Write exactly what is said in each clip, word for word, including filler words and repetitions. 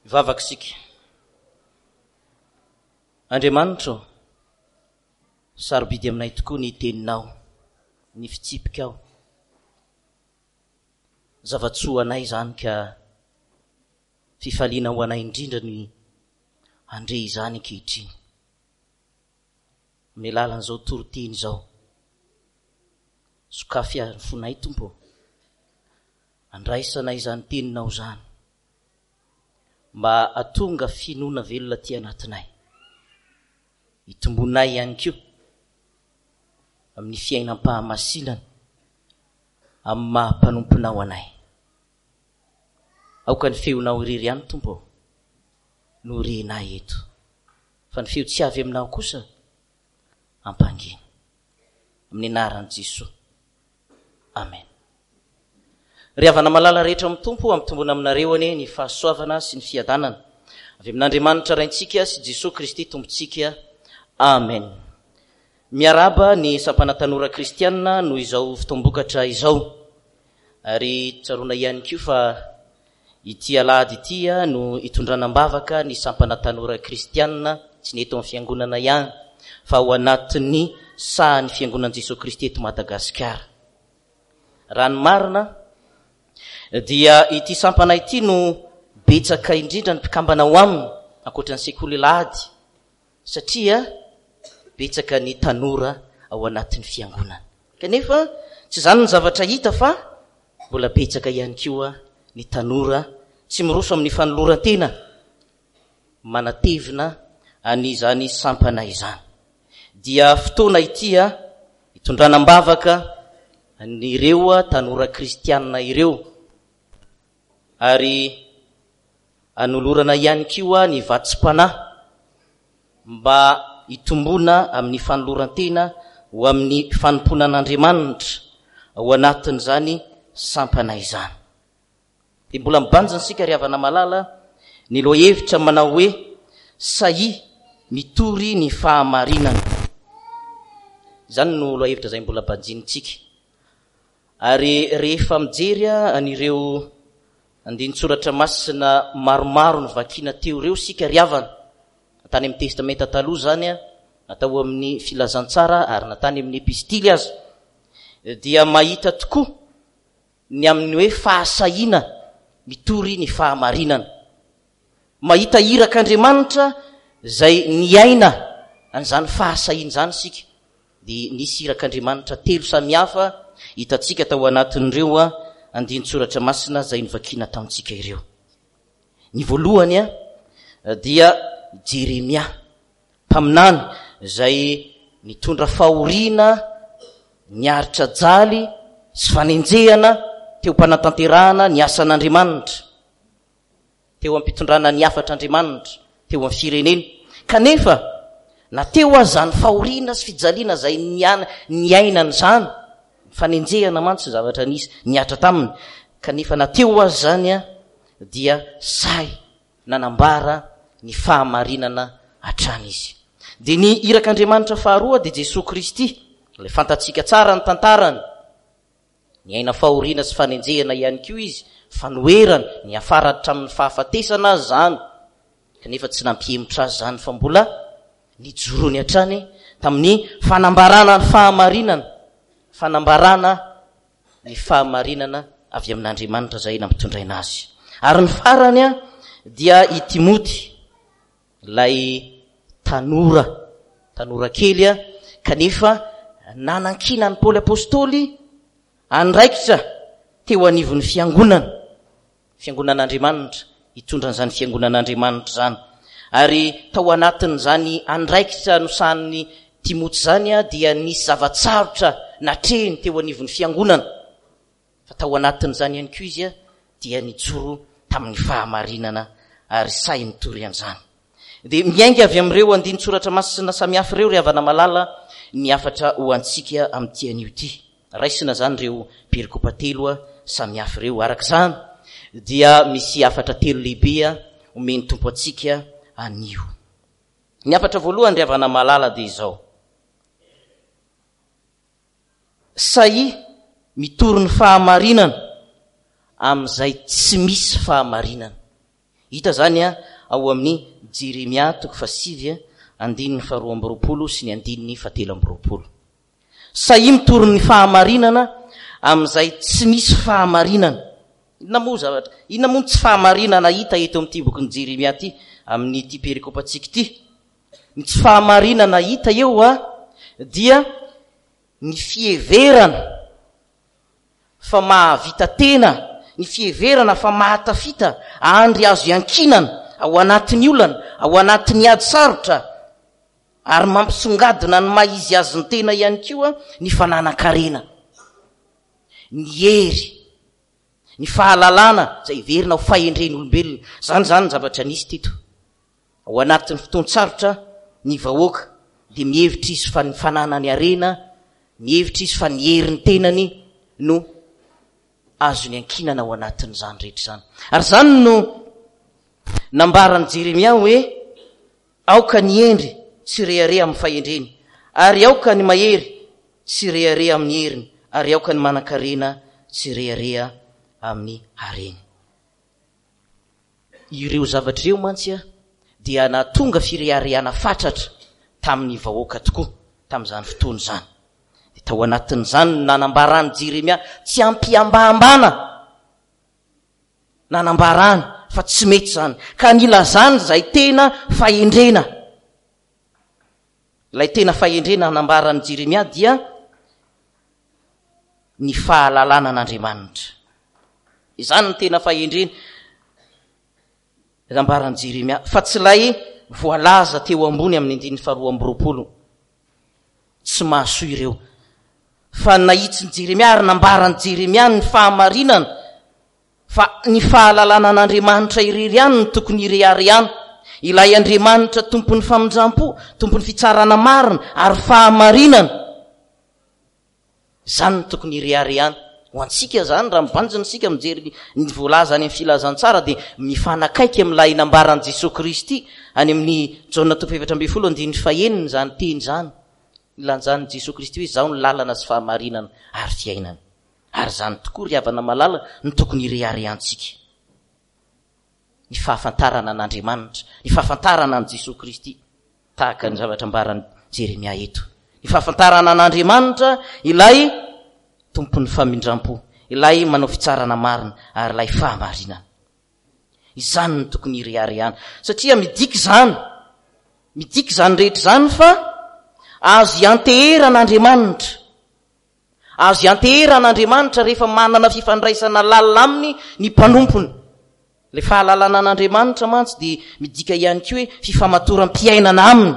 Hivavaka isika. Andriamanitra ô, sarobidy aminay tokoa ny teninao, ny fitsipikao. Zava-tsoa anay izany ka fifaliana ho anay indrindra ny handre izany ankehitriny. Amin'ny alalan'izao toriteny izao. Sokafy ary ny fonay Tompo ô. Andraisana izany teninao izany. Mba hahatonga finoana velona aty anatinay. Hitombonay ihany koa amin'ny fiainam-pahamasinana amin'ny maha mpanomponao anay. Aoka ny feonao irery ihany Tompo ô no renay eto. Fa ny feo tsy avy aminao kosa ampangina. Amin'ny anaran'i Jesoa. Amen. Ry havana malala rehetra amin'ny Tompo, ampitombona aminareo anie ny fahasoavana sy ny fiadanana avy amin'Andriamanitra Raintsika sy Jesoa Kristy Tompontsika. Amen. Miarahaba ny sampana tanora kristianina noho izao fotoam-bokatra izao. Ary tsaroana ihany koa fa ity alahady ity no itondrana am-bavaka ny sampana tanora kristianina, tsy ny eto amin'ny fiangonana ihany, fa ao anatin'ny sahan'ny fiangonan'i Jesoa Kristy eto Madagasikara. Raha ny marina dia ity sampana ity no betsaka indrindra ny mpikambana ao aminy, ankoatra ny sekoly alahady, satria betsaka ny tanora ao anatin'ny fiangonana. Kanefa tsy izany ny zavatra hita fa mbola betsaka ihany koa ny tanora tsy miroso amin'ny fanoloran-tena manatevina an'izany sampana izany. Dia fotoana ity hitondrana am-bavaka an'ireo tanora kristianina ireo, ary anolorana ihany koa ny vatsim-panahy mba hitombona amin'ny fanoloran-tena ho amin'ny fanompoana an'Andriamanitra ao anatin'izany sampana izany. Dia mbola mibanjina isika ry havana malala ny lohahevitra manao hoe sahia mitory ny fahamarinana. Izany no lohahevitra izay mbola banjinintsika. Ary rehefa mijery an'ireo andinin-tsoratra masina maromaro novakiana teo ireo isika ry havana, na tany amin'ny Testamenta taloha izany, na tao amin'ny Filazantsara ary na tany amin'ny Epistily aza, dia mahita tokoa ny amin'ny hoe fahasahiana mitory ny fahamarinana. Mahita irak'Andriamanitra izay niaina an'izany fahasahiana izany isika. Dia nisy irak'Andriamanitra telo samihafa hitantsika tao anatin'ireo andinin-tsoratra masina izay novakiana tamintsika ireo. Ny voalohany dia Jeremia, mpaminany izay nitondra fahoriana, niaritra jaly sy fanenjehana teo am-panatanterahana ny asan'Andriamanitra, teo am-pitondrana ny hafatr'Andriamanitra teo amin'ny firenena. Kanefa na teo aza izany fahoriana sy fijaliana izay niainana izany, fanenjehana mantsy zavatra nisy nihatra taminy, kanefa na teo aza izany dia sahy nanambara ny fahamarinana hatrany izy. Dia ny irak'Andriamanitra faharoa dia Jesoa Kristy, ilay fantatsika tsara ny tantarany. Niaina fahoriana sy fanenjehana ihany koa izy, fanoherana, niafara hatramin'ny fahafatesana azy izany, kanefa tsy nampihemotra azy izany fa mbola nijoroany hatrany tamin'ny fanambarana ny fahamarinana, fanambarana ny fahamarinana avy amin'Andriamanitra izay nampitondraina azy. Ary ny farany dia i Timoty, ilay tanora, tanora kely, kanefa nanankina an'i Paoly Apostoly andraikitra teo anivon'ny fiangonana, fiangonan'Andriamanitra, hitondra an'izany fiangonan'Andriamanitra izany. Ary tao anatin'izany andraikitra nosahanin'i Timoty izany dia nisy zava-tsarotra natrehiny teo anivon'ny fiangonana. Fa tao anatin'izany ihany koa izy dia nijoro tamin'ny fahamarinana ary sahy nitory an'izany. Dia miainga avy amin'ireo andinin-tsoratra masina samihafa ireo ry havana malala ny hafatra ho antsika amin'ity anio ity. Raisina izany ireo perikopa telo samihafa ireo. Araka izany dia misy hafatra telo lehibe omen'ny Tompo antsika anio. Ny hafatra voalohany ry havana malala dia izao. Sahia mitory ny fahamarinana amin'izay tsy misy fahamarinana. Hita izany ao amin'ny Jeremia toko fahasivy andininy faharoa amby roapolo sy ny andininy fahatelo amby roapolo. Sahia mitory ny fahamarinana amin'izay tsy misy fahamarinana. Inona moa zavatra, inona moa ny tsy fahamarinana hita eto amin'ity bokin'i Jeremia ity, amin'ity perikopantsika ity? Ny tsy fahamarinana hita eo a dia ny fiheverana fa mahavita tena, ny fiheverana fa mahatafita andry azo iankinana ao anatin'ny olana, ao anatin'ny ady sarotra, ary mampisongadina ny maha izy azy ny tena ihany koa ny fananan-karena, ny hery, ny fahalalana izay heverina ho fahendren'olombelona. Izany izany ny zavatra nisy teto. Ao anatin'ny fotoan-tsarotra ny vahoaka dia mihevitra izy fa ny fananany harena, mihevitra izy fa ny herin'ny tenany no azony ankinana ao anatin'izany rehetra izany. Ary izany no nambaran'i Jeremia hoe aoka ny hendry tsy rehareha amin'ny fahendreny, ary aoka ny mahery tsy rehareha amin'ny heriny, ary aoka ny manan-karena tsy rehareha amin'ny hareny. Ireo zavatra ireo mantsy dia nahatonga fireharehana fatratra tamin'ny vahoaka tokoa tamin'izany fotoana izany. Dia tao anatin'izany no nanambaran'i Jeremia tsy am-pihambahambana, nanambarany fa tsy mety izany, ka nilazany izay tena fahendrena. Ilay tena fahendrena nanambaran'i Jeremia dia ny fahalalana an'Andriamanitra. Izany no tena fahendrena nambaran'i Jeremia, fa tsy ilay voalaza teo ambony amin'ny andininy faharoa amby roapolo. Tsy mahasoa ireo. Fa nahitsin'i Jeremia ary nambaran'i Jeremia ny fahamarinana, fa ny fahalalana an'Andriamanitra irery ihany no tokony hireharehana. Ilay Andriamanitra tompon'ny famindram-po, tompon'ny fitsarana marina ary fahamarinana. Izany no tokony hireharehana. Ho antsika izany, raha mibanjina isika mijery ny voalaza any amin'ny filazantsara, dia mifanakaiky amin'ilay nambaran'i Jesoa Kristy any amin'ny Jaona toko efatra ambin'ny folo andininy fahenina izany teny izany. Nilanjan'i Jesoa Kristy hoe izaho no lalana sy fahamarinana ary fiainana. Ary izany tokoa ry havana malala no tokony hireharehantsika. Ny fahafantarana an'Andriamanitra, ny fahafantarana an'i Jesoa Kristy, tahaka ny zavatra ambaran'i Jeremia eto. Ny fahafantarana an'Andriamanitra, ilay tompon'ny famindram-po, ilay manao fitsarana marina ary ilay fahamarinana. Izany no tokony hireharehana. Satria midika izany, midika izany rehetra izany fa azo ianteherana Andriamanitra. Azo ianteherana Andriamanitra rehefa manana fifandraisana lalina aminy ny mpanompony. Ilay fahalalana an'Andriamanitra mantsy dia midika ihany koa hoe fifamatoram-piainana aminy.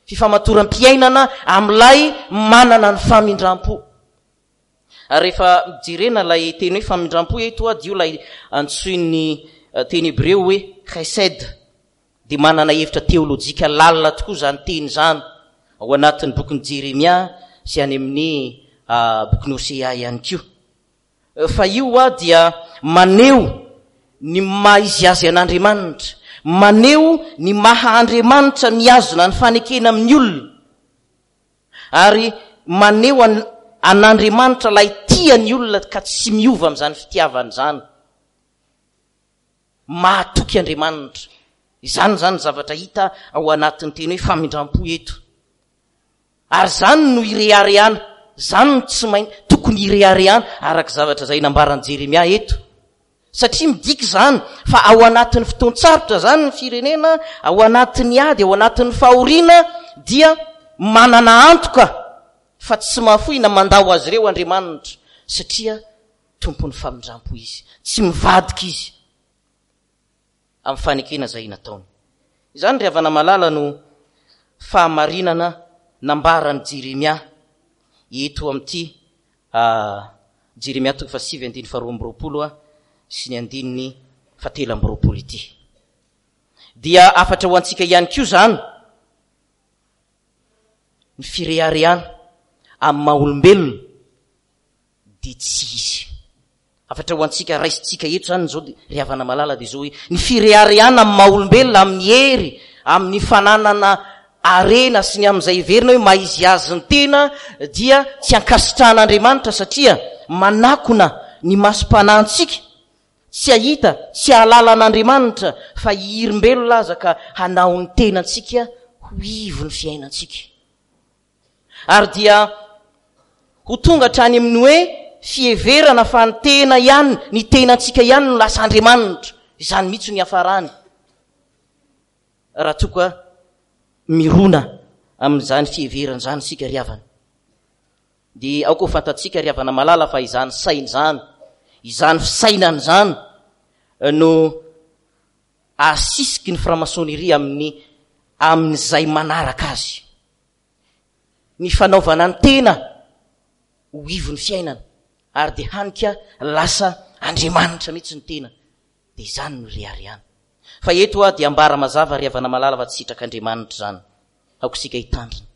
Fifamatoram-piainana amin'ilay manana ny famindram-po. Ary rehefa jerena ilay teny hoe famindram-po eto, dia io ilay antsoin'ny teny hebreo hoe chesed. Dia manana hevitra teolojika lalina tokoa izany teny izany ao anatin'ny bokin'i Jeremia sy any amin'ny bokin'i Hosea ihany koa. Fa io hoa dia maneho ny maha izy azy an'Andriamanitra, maneho ny maha Andriamanitra mihazona ny fanekena amin'ny olona, ary maneho an-, an'Andriamanitra ilay tia ny olona ka tsy miova amin'izany fitiavana izany. Mahatoky Andriamanitra. Izany izany zavatra hita ao anatin'ny teny hoe famindram-po eto. Ary izany no ireharehana, izany no tsy main-, tokony hireharehana araka zavatra izay nambaran'i Jeremia eto. Satria midika izany fa ao anatin'ny fotoan-tsarotra izany ny firenena, ao anatin'ny ady, ao anatin'ny fahoriana, dia manana antoka fa tsy mahafoy na mandao azy ireo Andriamanitra, satria tompon'ny famindram-po izy, tsy mivadika izy amin'ny fanekena izay nataony. Izany ry havana malala no fahamarinana nambaran'i Jeremia eto amin'ity, ah, Jeremia toko fahasivy andininy faharoa amby roapolo sy ny andininy fahatelo amby roapolo ity. Dia hafatra ho antsika ihany koa izany ny fireharehana amin'ny maha olombelona dia tsy izy. Hafatra ho antsika raisintsika eto izany izao, ry havana malala, dia izao hoe ny fireharehana amin'ny maha olombelona, amin'ny hery, amin'ny fananana harena sy ny amin'izay heverina hoe maha izy azy ny tena dia tsy ankasitrahan'Andriamanitra, satria manakona ny masom-panahintsika Tsy hahita, tsy hahalala an'Andriamanitra, fa hihirimbelona aza ka hanao ny tenantsika ho ivon'ny fiainantsika. Ary dia ho tonga hatrany amin'ny hoe fiheverana fa ny tena ihany, ny tenantsika ihany no lasa Andriamanitra. Izany mihitsy no hiafarany, raha toa ka mirona amin'izany fiheverana izany isika ry havana. Dia aoka ho fantatsika ry havana malala fa izany saina izany, izany fisainana izany no asisiky ny franc-maçonnerie amin'ny, amin'izay manaraka azy. Ny fanaovana ny tena ho ivon'ny fiainana, ary dia hanika lasa Andriamanitra mihitsy ny tena. Dia izany no reharehana. Fa eto aho dia ambara mazava ry havana malala fa tsy sitrak'Andriamanitra izany. Aoka isika hitandrina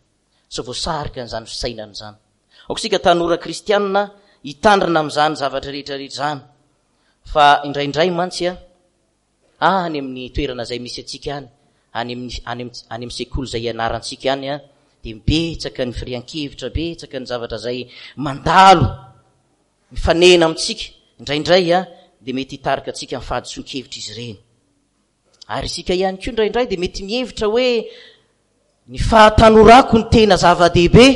sao voasarika an'izany fisainana izany. Aoka isika tanora kristianina hitandrina amin'izany zavatra rehetra rehetra izany. Fa indraindray mantsy a, any amin'ny toerana izay misy antsika any, any amin'ny, any amin'ny, any amin'ny sekoly izay ianarantsika any a, dia betsaka ny firehan-kevitra, betsaka ny zavatra izay mandalo, mifanena amintsika. Indraindray a, dia mety hitarika antsika amin'ny fahadisoan-kevitra izy ireny. Ary isika ihany koa indraindray dia mety mihevitra hoe ny fahatanorako no tena zava-dehibe.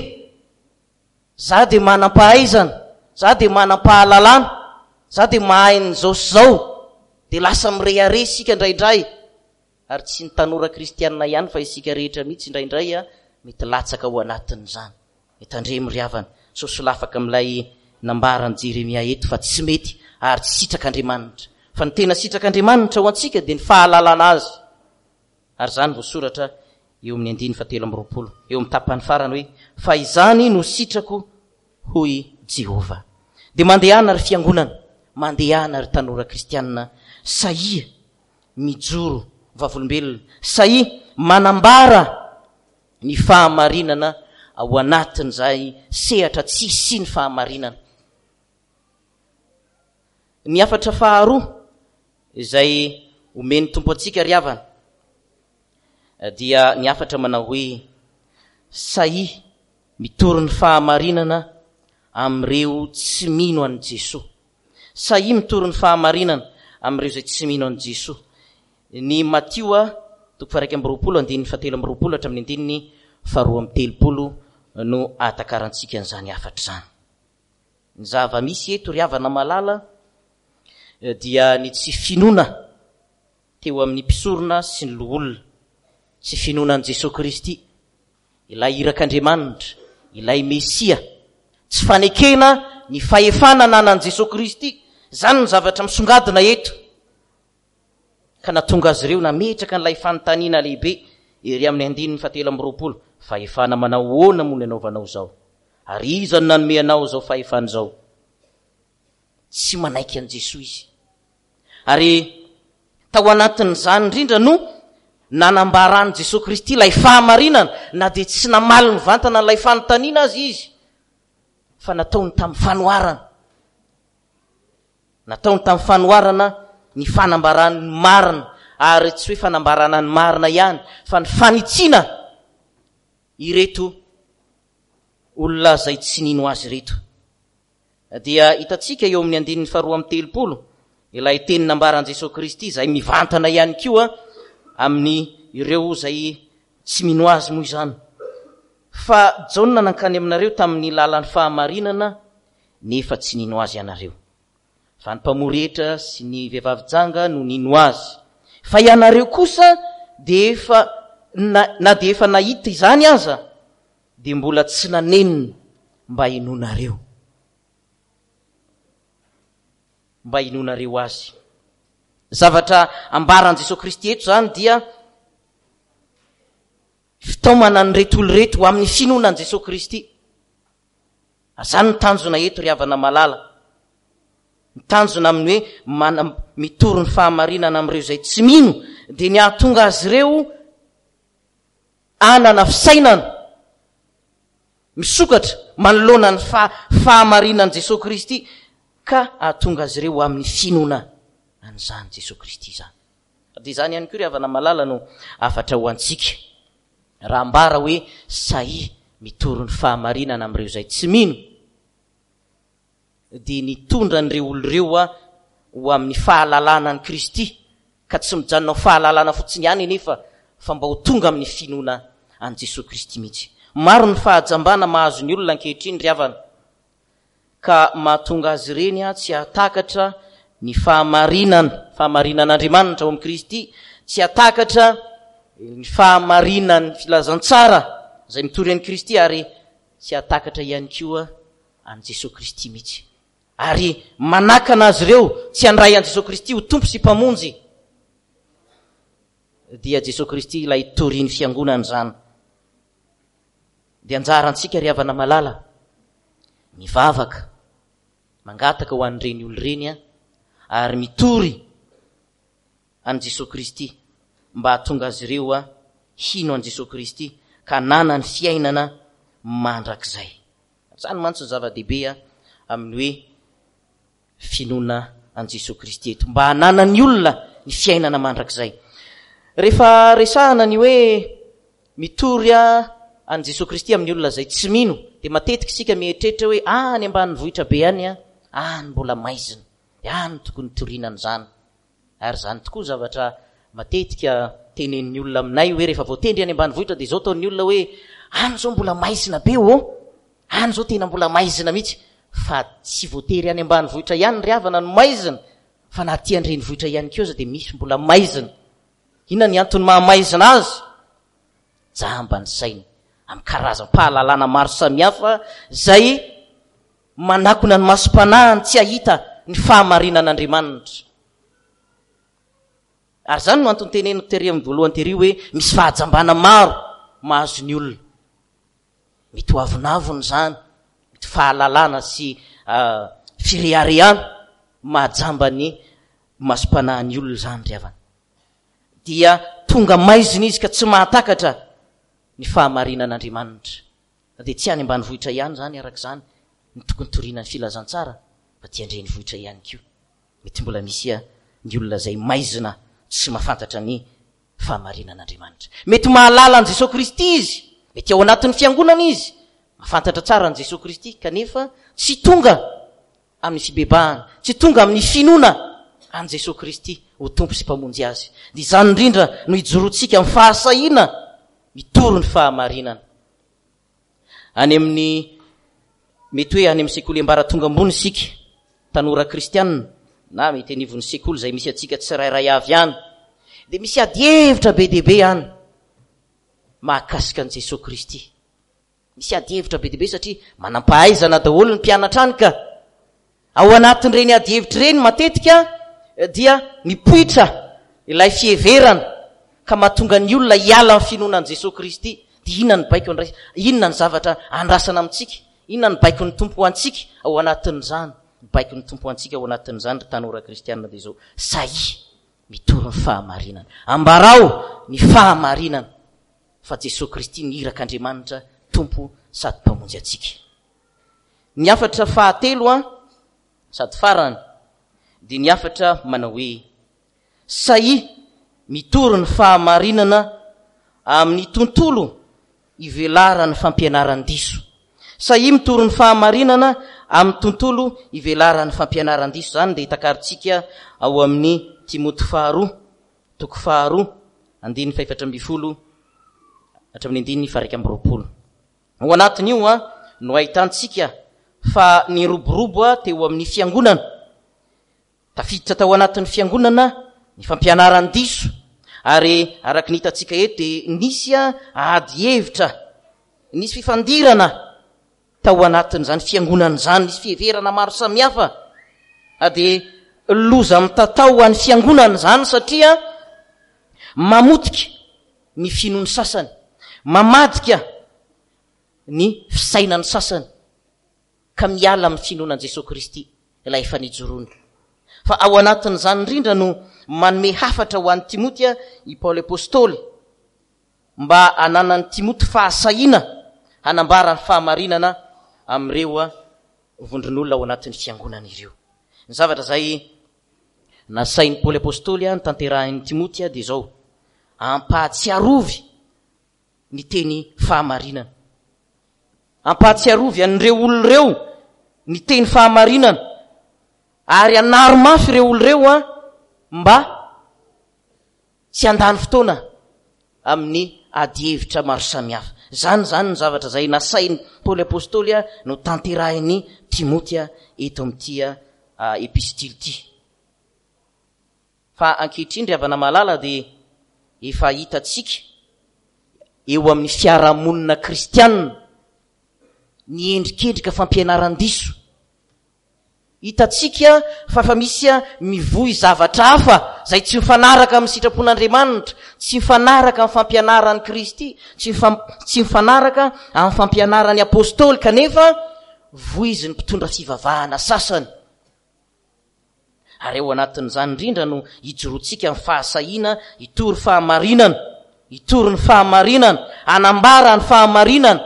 Za dia manam-pahaizana, za dia manam-pahalalana, za dia mahay an'izao sy izao. Dia lasa mirehareha isika indraindray. Ary tsy ny tanora kristianina ihany fa isika rehetra mihitsy indraindray a, mety latsaka ao anatin'izany. Mitandremo ry havana, sao solafaka amin'ilay nambaran'i Jeremia eto fa tsy mety ary tsy sitrak'Andriamanitra. Fa ny tena sitrak'Andriamanitra ho antsika dia ny fahalalana azy. Ary izany voasoratra eo amin'ny andininy fahatelo amby roapolo, eo amin'ny tapany farany hoe, fa izany no sitrako, hoy Jehovah. Dia mandehana ry fiangonana, mandehana ry tanora kristianina, sahia mijoro vavolombelona, sahia manambara ny fahamarinana ao anatin'izay sehatra tsy hisian'ny fahamarinana. Ny hafatra faharoa izay omen'ny Tompo antsika ry havana dia ny hafatra manao hoe sahia mitory ny fahamarinana amin'ireo tsy mino an'i Jesoa. Sahia mitory ny fahamarinana amin'ireo izay tsy mino an'i Jesoa. Ny Matio toko faha-iraika amby roapolo andininy fahatelo amby roapolo hatramin'ny andininy faharoa amby telopolo no ahatakarantsika an'izany hafatra izany. Ny zava-misy eto ry havana malala dia ny tsy finoana teo amin'ny mpisorona sy ny loholona, tsy finoana an'i Jesoa Kristy, ilay irak'Andriamanitra, ilay Mesia, tsy fanekena ny fahefana ananan'i Jesoa Kristy. Izany no zavatra misongadina eto. Ka nahatonga azy ireo nametraka an'ilay fanontaniana lehibe ery amin'ny andininy fahatelo amby roapolo, fahefana manao ahoana moa no anaovanao izao? Ary iza no nanome anao izao fahefana izao? Tsy manaiky an'i Jesoa izy. Ary tao anatin'izany indrindra no nanambaran'i Jesoa Kristy ilay fahamarinana, na dia tsy namaly mivantana an'ilay fanontaniana aza izy, fa nataony tamin'ny fanoharana. Nataony tamin'ny fanoharana ny fanambarany ny marina, ary tsy hoe fanambarana ny marina ihany, fa ny fanitsiana ireto olona izay tsy nino azy ireto. Dia hitantsika eo amin'ny andininy faharoa amby telopolo ilay teny nambaran'i Jesoa Kristy izay mivantana ihany koa amin'ny ireo izay tsy mino azy moa izany. Fa Jaona nankany aminareo tamin'ny lalan'ny fahamarinana, nefa tsy nino azy ianareo. Fa ny mpamory hetra sy ny vehivavy janga no nino azy. Fa ianareo kosa dia efa na, na dia efa nahita izany aza, dia mbola tsy nanenina mba hinoanareo. Mba hinoanareo azy. Zavatra ambaran'i Jesoa Kristy eto izany dia fitaomana an'ireto olona ireto ho amin'ny finoana an'i Jesoa Kristy. Ary izany no tanjona eto ry havana malala. Ny tanjona amin'ny hoe mana-, mitory ny fahamarinana amin'ireo izay tsy mino dia ny hahatonga azy ireo hanana fisainana misokatra manoloana ny fa-, fahamarinan'i Jesoa Kristy ka hahatonga azy ireo ho amin'ny finoana an'izany Jesoa Kristy izany. Dia izany ihany koa ry havana malala no hafatra ho antsika. Raha ambara hoe sahia mitory ny fahamarinana amin'ireo izay tsy mino, dia nitondra an'ireo olona ireo ho amin'ny fahalalana an'i Kristy, ka tsy mijanona ho fahalalana fotsiny ihany anefa fa mba ho tonga amin'ny finoana an'i Jesoa Kristy mihitsy. Maro ny fahajambana mahazo ny olona ankehitriny ry havana, ka mahatonga azy ireny tsy hahatakatra ny fahamarinana, fahamarinan'Andriamanitra ao amin'i Kristy, tsy hahatakatra ny fahamarinan'ny filazantsara izay mitory an'i Kristy, ary tsy hahatakatra ihany koa an'i Jesoa Kristy mihitsy. Ary manakana azy ireo tsy handray an'i Jesoa Kristy ho Tompo sy Mpamonjy, dia Jesoa Kristy ilay torian'ny fiangonana izany. Dia anjarantsika ry havana malala, mivavaka, mangataka ho an'ireny olona ireny, ary mitory an'i Jesoa Kristy mba hahatonga azy ireo hino an'i Jesoa Kristy ka hanana ny fiainana mandrakizay. Izany mantsy ny zava-dehibe amin'ny hoe finoana an'i Jesoa Kristy eto, mba hananan'ny olona ny fiainana mandrakizay. Rehefa resahana ny hoe mitory an'i Jesoa Kristy amin'ny olona izay tsy mino, dia matetika isika mieritreritra hoe any ambanivohitra be any, any mbola maizina, dia any tokony hitoriana an'izany. Ary izany tokoa zavatra matetika tenenin'ny olona aminay hoe rehefa voatendry any ambanivohitra dia izao ataon'ny olona hoe any izao mbola maizina be ô, any izao tena mbola maizina mihitsy. Fa tsy voatery any ambanivohitra ihany ry havana no maizina, fa na aty an-drenivohitra ihany koa aza dia misy mbola maizina. Inona ny antony mahamaizina azy? Jamba ny sainy amin'ny karazam-pahalalana maro samihafa izay manakona ny masom-panahiny tsy hahita ny fahamarinan'Andriamanitra. Ary izany no antony teneniko tery amin'ny voalohany tery hoe misy fahajambana maro mahazo ny olona. Mety ho avonavona izany, mety fahalalana sy fireharehana mahajamba ny masom-panahin'ny olona izany ry havana. Dia tonga maizina izy ka tsy mahatakatra ny fahamarinan'Andriamanitra. Na dia tsy any ambanivohitra ihany izany araka izany ny tokony toriana ny filazantsara, fa dia an-drenivohitra ihany koa. Mety mbola misy ny olona izay maizina tsy mahafantatra ny fahamarinan'Andriamanitra. Mety mahalala an'i Jesoa Kristy izy, mety ao anatin'ny fiangonana izy, mahafantatra tsara an'i Jesoa Kristy, kanefa tsy tonga amin'ny fibebahana, tsy tonga amin'ny finoana an'i Jesoa Kristy ho Tompo sy Mpamonjy azy. Dia izany indrindra no ijoroantsika amin'ny fahasahiana mitory ny fahamarinana. Any amin'ny, mety hoe any amin'ny sekoly ambaratonga ambony isika, tanora kristianina, na mety anivon'ny sekoly izay misy antsika tsirairay avy any, dia misy adihevitra be dia be any mahakasika an'i Jesoa Kristy. Misy adihevitra be dia be satria manam-pahaizana daholo ny mpianatra any ka. Ao anatin'ireny adihevitra ireny matetika dia mipoitra ilay fiheverana ka mahatonga ny olona hiala amin'ny finoana an'i Jesoa Kristy. Dia inona ny baiko andray-, inona ny zavatra andrasana amintsika? Inona ny baikon'ny Tompo ho antsika ao anatin'izany? Ny baikon'ny Tompo ho antsika ao anatin'izany ry tanora kristianina dia izao: sahia mitory ny fahamarinana. Ambarao ny fahamarinana fa Jesoa Kristy ny irak'Andriamanitra Tompo sady Mpamonjy antsika. Ny hafatra fahatelo an, sady farany, dia ny hafatra manao hoe sahia mitory ny fahamarinana amin'ny tontolo ivelaran'ny fampianaran-diso. Sahia mitory ny fahamarinana amin'ny tontolo ivelaran'ny fampianaran-diso. Izany dia takarintsika ao amin'ny Timoty faharoa, toko faharoa, andininy fahefatra ambin'ny folo hatramin'ny andininy faha-iraika amby roapolo. Ao anatin'io an, no ahitantsika fa niroborobo teo amin'ny fiangonana. Tafiditra tao anatin'ny fiangonana ny fampianaran-diso, ary araka ny hitantsika eto dia nisy ady hevitra, nisy fifandirana tao anatin'izany fiangonana izany, nisy fiheverana maro samihafa. Ary dia loza mitatao ho an'ny fiangonana izany satria mamotika ny finoan'ny sasany, mamadika ny fisainan'ny sasany, ka miala amin'ny finoana an'i Jesoa Kristy ilay efa nijoroany. Fa ao anatin'izany indrindra no manome hafatra ho an'i Timoty i Paoly Apostoly, mba hananan'i Timoty fahasahiana hanambara ny fahamarinana amin'ireo vondron'olona ao anatin'ny fiangonana ireo. Ny zavatra izay nasain'i Paoly Apostoly notanterahin'i Timoty dia izao: ampahatsiarovy ny teny fahamarinana. Ampahatsiarovy an'ireo olona ireo ny teny fahamarinana Ary anaro mafy ireo olo ireo a mba tsy handany fotoana amin'ny adihevitra maro samihafa. Izany izany ny zavatra izay nasain'i Paoly Apostoly no tanterahin'i Timoty eto amin'ity epistily ity. Fa ankehitriny ry havana malala dia efa hitantsika eo amin'ny fiarahamonina kristianina ny endrikendrika fampianaran-diso. Hitantsika fa efa misy mivoy zavatra hafa izay tsy mifanaraka amin'ny sitrapon'Andriamanitra, tsy mifanaraka amin'ny fampianaran'i Kristy, tsy tsy mifanaraka amin'ny fampianaran'ny Apostoly, kanefa voizin'ny mpitondra fivavahana sasany. Ary ao anatin'izany indrindra no ijoroantsika amin'ny fahasahiana hitory fahamarinana, hitory ny fahamarinana, hanambara ny fahamarinana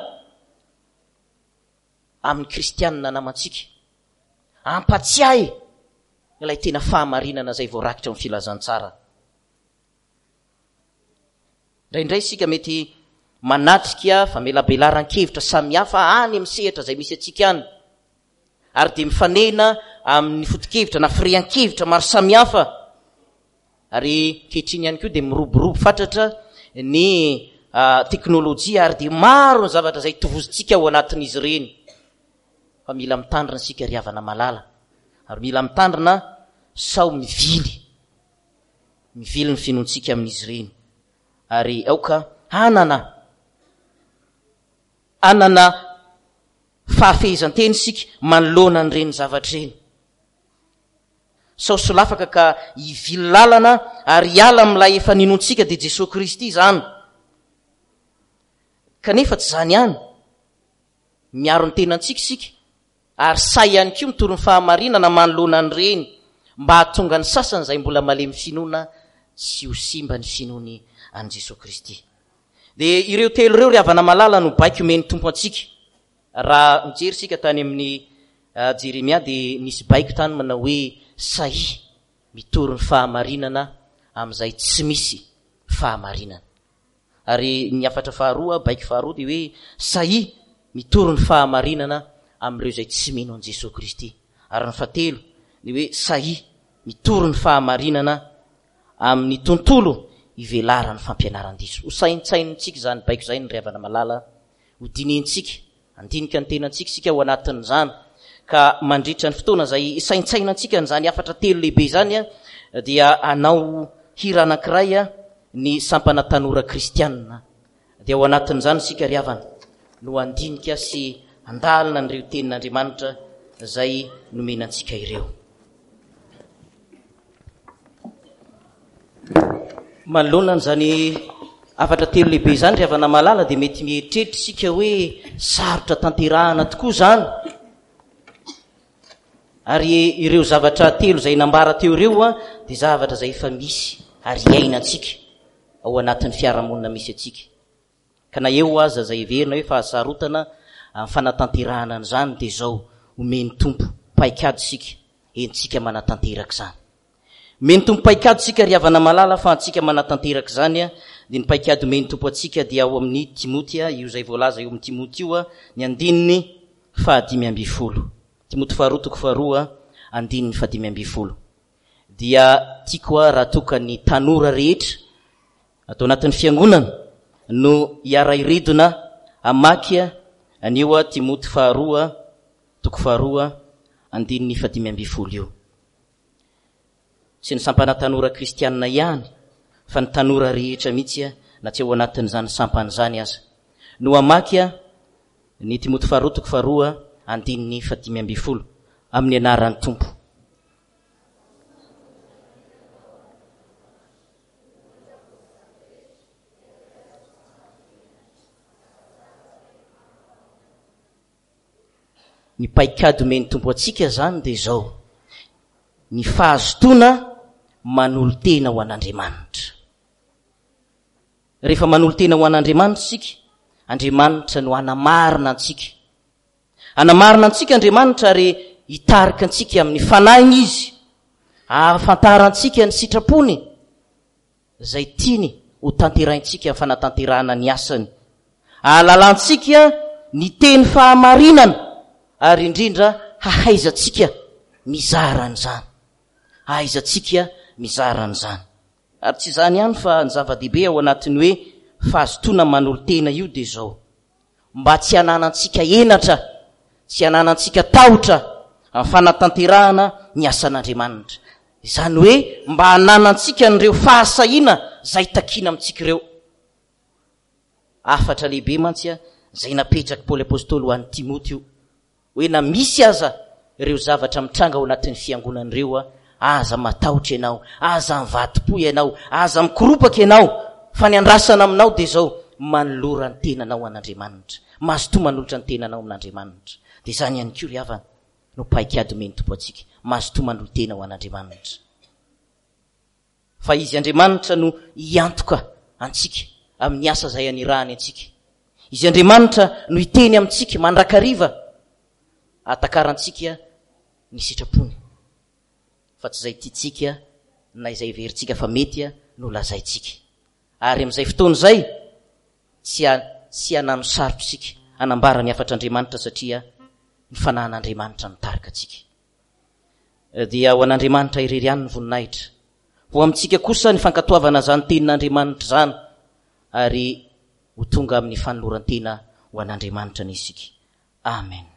amin'ny kristianina namantsika. Hampatsiahy ilay tena fahamarinana izay voarakitra ao amin'ny filazantsara. Indraindray isika mety manatrika famelabelaran-kevitra samihafa any amin'ny sehatra izay misy antsika any, ary dia mifanena amin'ny foto-kevitra na firehan-kevitra maro samihafa. Ary ankehitriny ihany koa dia miroborobo fatratra ny teknolojia, ary dia maro ny zavatra izay tovozontsika ao anatin'izy ireny. Fa mila mitandrina isika ry havana malala, ary mila mitandrina sao mivily, mivily ny finoantsika amin'izy ireny. Ary aoka hanana, hanana fahafehezan-tena isika manoloana an'ireny zavatra ireny. Sao solafaka ka hivily lalana ary hiala amin'ilay efa ninoantsika, dia Jesoa Kristy izany. Kanefa tsy izany ihany, miaro ny tenantsika isika ary sahy ihany koa mitory ny fahamarinana manoloana an'ireny mba hahatonga ny sasany izay mbola malemy finoana tsy ho simba ny finoany an'i Jesoa Kristy. Dia ireo telo ireo ry havana malala no baiko omen'ny Tompo antsika. Raha mijery isika tany amin'ny Jeremia dia nisy baiko tany manao hoe sahia mitory ny fahamarinana amin'izay tsy misy fahamarinana. Ary ny hafatra faharoa, baiko faharoa dia hoe sahia mitory ny fahamarinana amin'ireo izay tsy mino an'i Jesoa Kristy. Ary ny fahatelo dia hoe sahia mitory ny fahamarinana amin'ny tontolo ivelaran'ny fampianaran-diso. Ho saintsainintsika izany baiko izay ny ry havana malala, ho dinihintsika, handinika ny tenantsika isika ao anatin'izany, ka mandritra ny fotoana izay saintsainantsika an'izany hafatra telo lehibe izany dia hanao hira anankiray ny sampana tanora kristianina. Dia ao anatin'izany isika ry havana no handinika sy handalina an'ireo tenin'Andriamanitra izay nomena antsika ireo. Manoloana an'izany hafatra telo lehibe izany ry havana malala dia mety mieritreritra isika hoe sarotra tanterahana tokoa izany. Ary ireo zavatra telo izay nambara teo ireo dia zavatra izay efa misy ary iainantsika ao anatin'ny fiarahamonina misy antsika. Ka na eo aza izay heverina hoe fahasarotana amin'ny fanatanterahana an'izany dia izao, omen'ny Tompo paikady isika, entintsika manatanteraka izany. Omen'ny Tompo paikady isika ry havana malala fa antsika manatanteraka izany dia ny paikady omen'ny Tompo antsika dia ao amin'ny Timoty, io izay voalaza eo amin'ny Timoty io, ny andininy fahadimy ambin'ny folo. Timoty faharoa toko faharoa andininy fahadimy ambin'ny folo. Dia tiako raha toa ka ny tanora rehetra ato anatin'ny fiangonana no hiara-hiredona hamaky an'io Timoty faharoa toko faharoa andininy fahadimy ambin'ny folo io. Tsy ny sampana tanora kristianina ihany fa ny tanora rehetra mihitsy na tsy ao anatin'izany sampana izany aza no hamaky ny Timoty faharoa toko faharoa andininy fahadimy ambin'ny folo amin'ny anaran'ny Tompo. Ny paikady omen'ny Tompo antsika izany dia izao, ny fahazotoana manolo-tena ho an'Andriamanitra. Rehefa manolo-tena ho an'Andriamanitra isika, Andriamanitra no hanamarina antsika. Hanamarina antsika Andriamanitra ary hitarika antsika amin'ny fanahiny Izy, hahafantarantsika ny sitrapony izay tiany ho tanterahintsika amin'ny fanatanterahana ny asany, hahalalantsika ny teny fahamarinana ary indrindra hahaizantsika mizara an'izany. Ahaizantsika mizara an'izany. Ary tsy izany ihany fa ny zava-dehibe ao anatin'ny hoe fahazotoana manolo-tena io dia izao, mba tsy hananantsika henatra, tsy hananantsika tahotra amin'ny fanatanterahana ny asan'Andriamanitra. Izany hoe mba hananantsika an'ireo fahasahiana izay takiana amintsika ireo. Hafatra lehibe mantsy izay napetrak'i Paoly Apostoly ho an'i Timoty io, hoe na misy aza ireo zavatra mitranga ao anatin'ny fiangonana ireo, aza matahotra ianao, aza mivadi-po ianao, aza mikoropaka ianao, fa ny andrasana aminao dia izao, manolora ny tenanao an'Andriamanitra. Mazotoa manolotra ny tenanao amin'Andriamanitra. Dia izany ihany koa ry havana no paikady omen'ny Tompo antsika, mazotoa manolo-tena ho an'Andriamanitra. Fa Izy Andriamanitra no hiantoka antsika amin'ny asa izay anirahany antsika. Izy Andriamanitra no hiteny amintsika mandrakariva hahatakarantsika ny sitrapony, fa tsy izay tiantsika na izay heverintsika fa mety no lazaintsika. Ary amin'izay fotoana izay, tsy tsy hanano sarotra isika hanambara ny hafatr'Andriamanitra satria ny fanahin'Andriamanitra mitarika antsika. Dia ho an'Andriamanitra irery ihany ny voninahitra. Ho amintsika kosa ny fankatoavana izany tenin'Andriamanitra izany ary ho tonga amin'ny fanoloran-tena ho an'Andriamanitra anie isika. Amen.